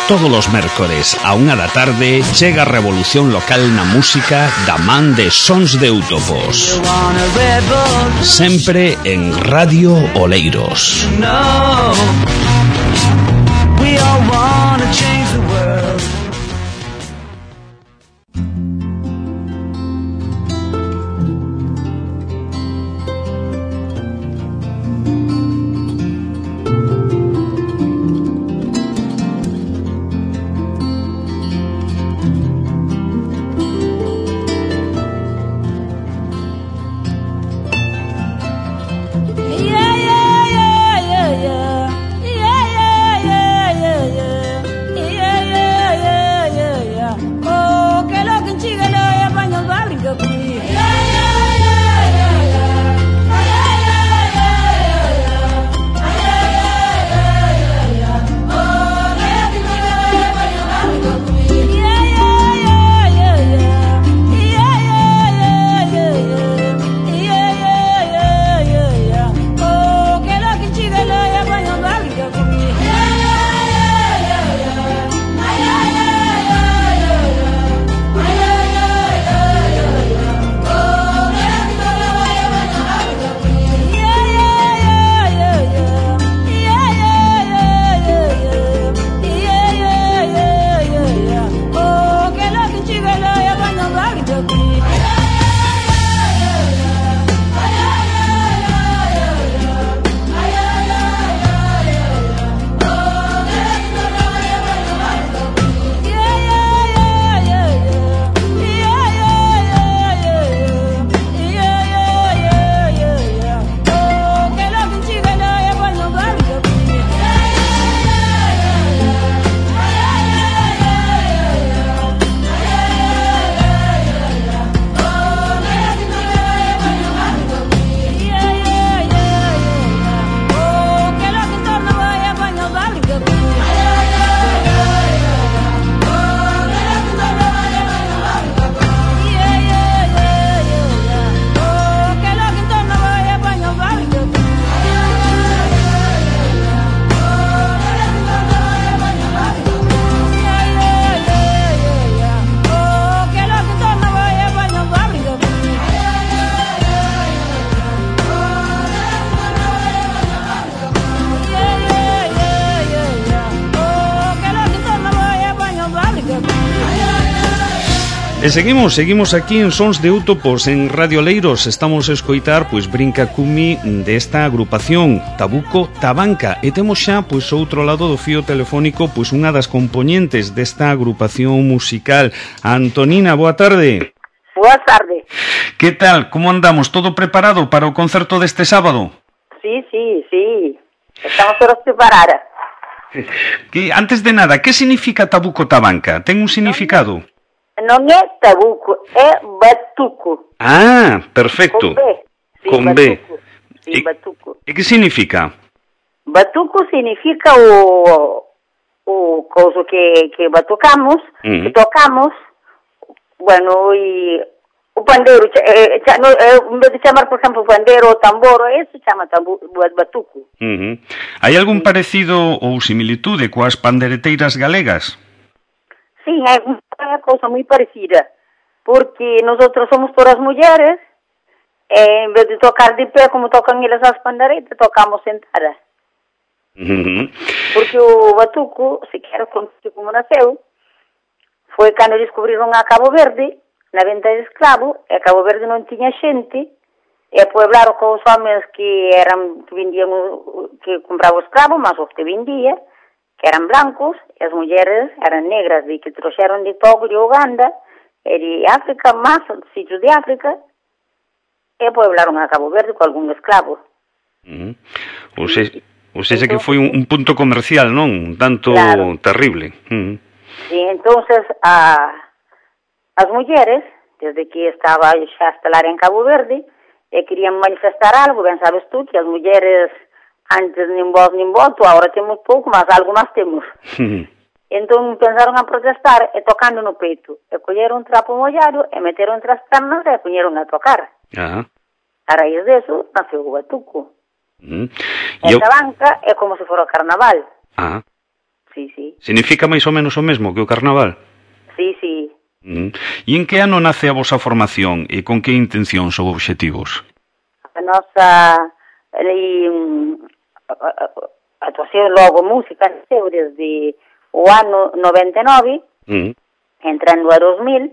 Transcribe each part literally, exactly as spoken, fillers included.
Todos os mércores a unha da tarde chega a revolución local na música da man de Sons de Eutopos. Sempre en Radio Oleiros. E seguimos, seguimos aquí en Sons de Eutopos en Radio Oleiros. Estamos a escoitar, pois, Brinca Cumi desta agrupación Tabuco Tabanca. E temos xa, pois, outro lado do fío telefónico, pois, unha das componentes desta agrupación musical. Antonina, boa tarde. Boa tarde. Que tal? Como andamos? Todo preparado para o concerto deste sábado? Sí, sí, sí. Estamos todos preparados. Que, antes de nada, que significa Tabuco Tabanca? Ten un significado? Non é tabuco, é batuco. Ah, perfecto. Con B. Sí, Con batuco. B. Sí, E, batuco. e que significa? Batuco significa o o couso que, que batucamos, uh-huh. que tocamos, bueno, e o pandeiro, eh, no, eh, en vez de chamar, por exemplo, pandeiro ou tambor, eso chama tabu, batuco. Uh-huh. Hai algún sí. parecido ou similitude coas pandereteiras galegas? Sí, é unha cousa moi parecida, porque nosotros somos todas mulleres, e en vez de tocar de pé como tocan elas as panderetas, tocamos sentadas. Uh-huh. Porque o batuco, se quero contar como naceu, foi cando descubriron a Cabo Verde, na venta de escravo, e a Cabo Verde non tiña xente, e pueblaron con os homens que eran que vendían, que compraban escravo, mas os que vendía, que eran blancos, e as mulleres eran negras, de que trouxeron de Togo, de Uganda, e de África, máis sitios de África, e pueblaron a Cabo Verde con algún esclavo. Uh-huh. Ou seja, ou seja que foi un, un punto comercial, non? Un tanto claro. terrible. Uh-huh. E entonces a, as mulleres, desde que estaba xa estelar en Cabo Verde, e querían manifestar algo, ben sabes tú, que as mulleres antes nin voz nin voto, agora temos pouco, mas algo máis temos. Entón pensaron a protestar e tocando no peito. E colleron un trapo mollado e meteron entre as pernas e poñeron a tocar. Ajá. A raíz deso, naceu o batuco. Uh-huh. Esta eu... banca é como se fora o carnaval. Ajá. sí, sí. Significa máis ou menos o mesmo que o carnaval? Sí, sí. Mm. E en que ano nace a vosa formación e con que intencións ou obxectivos? A nosa e, actuación logo música nasceu desde o ano noventa e nove, mm. entrando a dos mil,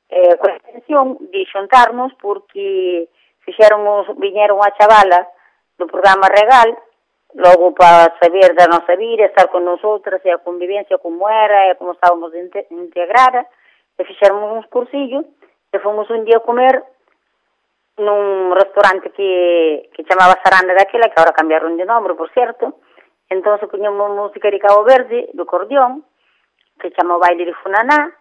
eh, con a intención de xuntarnos porque fixéramos, viñeron a chavala do programa Regal, logo para saber da nosa vida, estar con nosotras e a convivencia como era e como estábamos integrada, e fixéramos uns cursillos e fomos un día a comer nun restaurante que, que chamaba Saranda daquela, que agora cambiaron de nombre, por certo. Entón poñemos música de Cabo Verde, do cordión, que chama o baile de Funaná,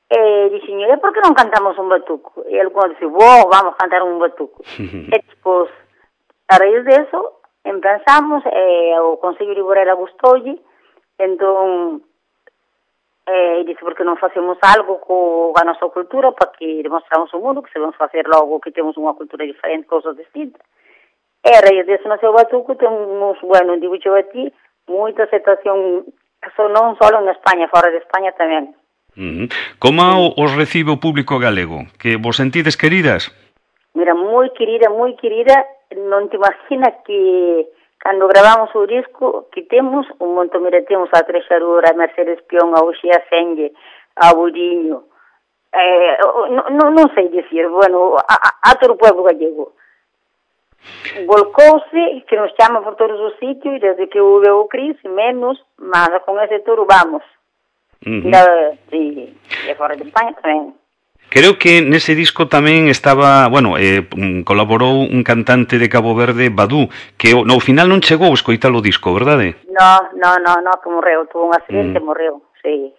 e dixen, e por que non cantamos un batuco? E algunos dixen, wow, vamos a cantar un batuco. E despois, a raíz de eso, empezamos, e o Consello de Borela gustoulle, entón, e disse, por que non facemos algo co a nosa cultura, para que demostramos ao mundo que sabemos facer logo, que temos unha cultura diferente, cousas distintas. E a raíz de eso, no seu batuco, temos, bueno, digo eu a ti, moita aceptación, non só en España, fora de España tamén. Uh-huh. Como sí. Os recibe o público galego? Que vos sentides queridas? Mira, moi querida, moi querida. Non te imaginas que cando gravamos o disco que temos un montón, mira, temos a Trexadora, a Mercedes Pion, a Uxía Senge, a Buriño, eh, non, non sei dicir, bueno, a, a, a todo o pueblo gallego. Volcouse, que nos chama por todos os sitios, e desde que houve o Cris, menos, mas con ese touro vamos. Uh-huh. Da, sí, e fora de España tamén. Creo que nese disco tamén estaba, bueno, eh, colaborou un cantante de Cabo Verde, Badú, que no final non chegou a escoitar o disco, verdade? No, no, no, no, que morreu, tuvo un accidente, mm. morreu, sí.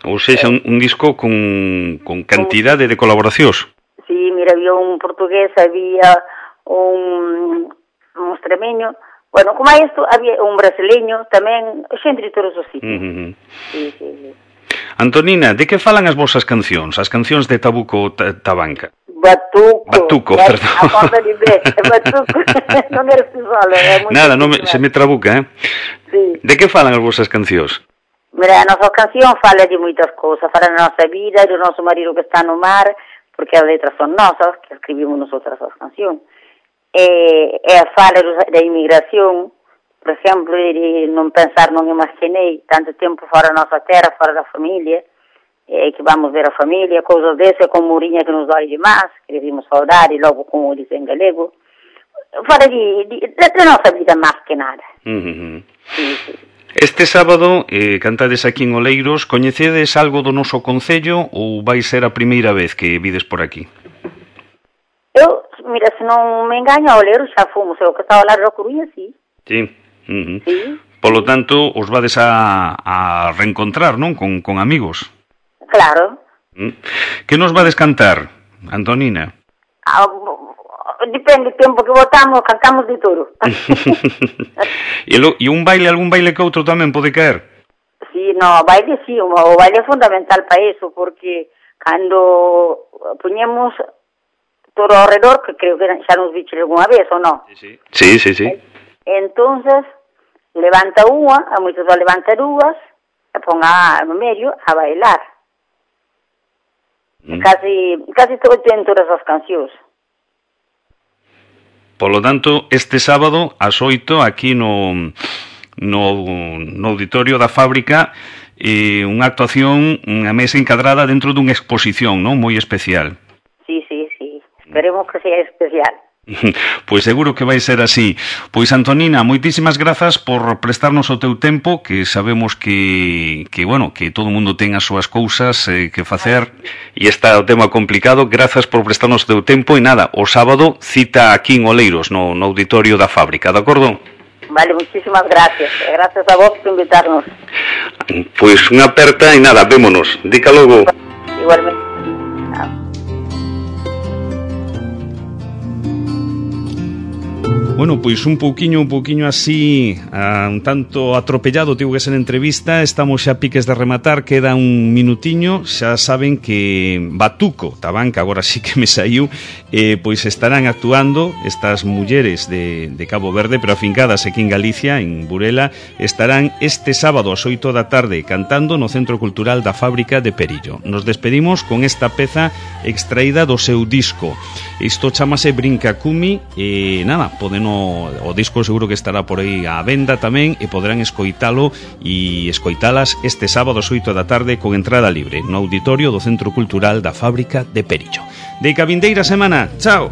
Ou seja, un, un disco con, con cantidade de colaboracións. Sí, mira, había un portugués, había un, un extremeño, bueno, como a isto, había un brasileño tamén, xente de todos os sitios. Uh-huh. Sí, sí, sí. Antonina, de que falan as vosas cancións, as cancións de Tabuco Tabanca? Batuco. Batuco, ya, perdón. A conta de ver, Batuco, non eres tú solo. É Nada, non me, se me trabuca, eh? Sí. De que falan as vosas cancións? Mira, a nosa canción fala de moitas cousas, fala da nosa vida, do noso marido que está no mar, porque as letras son nosas, que escribimos nosotras as cancións. E, e fala da inmigración, por exemplo, de non pensar, non imaginei tanto tempo fora da nosa terra, fora da familia, e que vamos ver a familia, cousas desse, como Mourinha que nos dói demais, que devemos saudar, e logo como diz en galego, fora de, de, de nosa vida máis que nada. Uh-huh. Sí, sí. Este sábado, eh, cantades aquí en Oleiros, coñecedes algo do noso concello ou vai ser a primeira vez que vides por aquí? Eu, mira, se non me engaño, a Oleiros xa fomos, eu que estaba lá na Coruña, sí. Sí. Uh-huh. Sí. Polo tanto, os vades a, a reencontrar, non? Con, con amigos. Claro. Uh-huh. Que nos vades cantar, Antonina? Ah, depende do tempo que votamos, cantamos de todo. e, lo, e un baile, algún baile que outro tamén pode caer? Sí, no, baile sí, o baile é fundamental para eso, porque cando poñemos todo ao redor, que creo que xa nos viche alguna vez, ou non? Sí, sí, sí, sí. Entonces, levanta unha, a moitos va levantar dúas, e pon a, no medio a bailar. Mm. Casi, casi todo ten todas as cancións. Polo tanto, este sábado, ás oito, aquí no, no, no auditorio da fábrica, eh, unha actuación, unha mesa encadrada dentro dunha exposición, non? Moi especial. Sí, sí, sí. Esperemos que sea especial. Pois seguro que vai ser así. Pois Antonina, moitísimas grazas por prestarnos o teu tempo, que sabemos que, que bueno, que todo o mundo ten as súas cousas eh, que facer e está o tema complicado. Grazas por prestarnos o teu tempo e nada, o sábado cita aquí en Oleiros, no, no auditorio da fábrica, de acordo? Vale, muchísimas gracias. Gracias a vos por invitarnos. Pois unha aperta e nada, vémonos. Dica logo. Igualmente. Ah. Bueno, pois un pouquiño, un pouquiño así, a, un tanto atropellado, tivo que ser entrevista. Estamos xa a piques de rematar, queda un minutiño. Xa saben que Batuco, Tabanca, agora sí que me saiu, eh, pois estarán actuando estas mulleres de, de Cabo Verde, pero afincadas aquí en Galicia, en Burela. Estarán este sábado ás oito da tarde cantando no Centro Cultural da Fábrica de Perillo. Nos despedimos con esta peza extraída do seu disco. Isto chamase Brinca Cumi e nada, poden o, o disco seguro que estará por aí á venda tamén e poderán escoitalo e escoitalas este sábado ás oito da tarde con entrada libre no auditorio do Centro Cultural da Fábrica de Perillo. De ca vindeira semana, chao!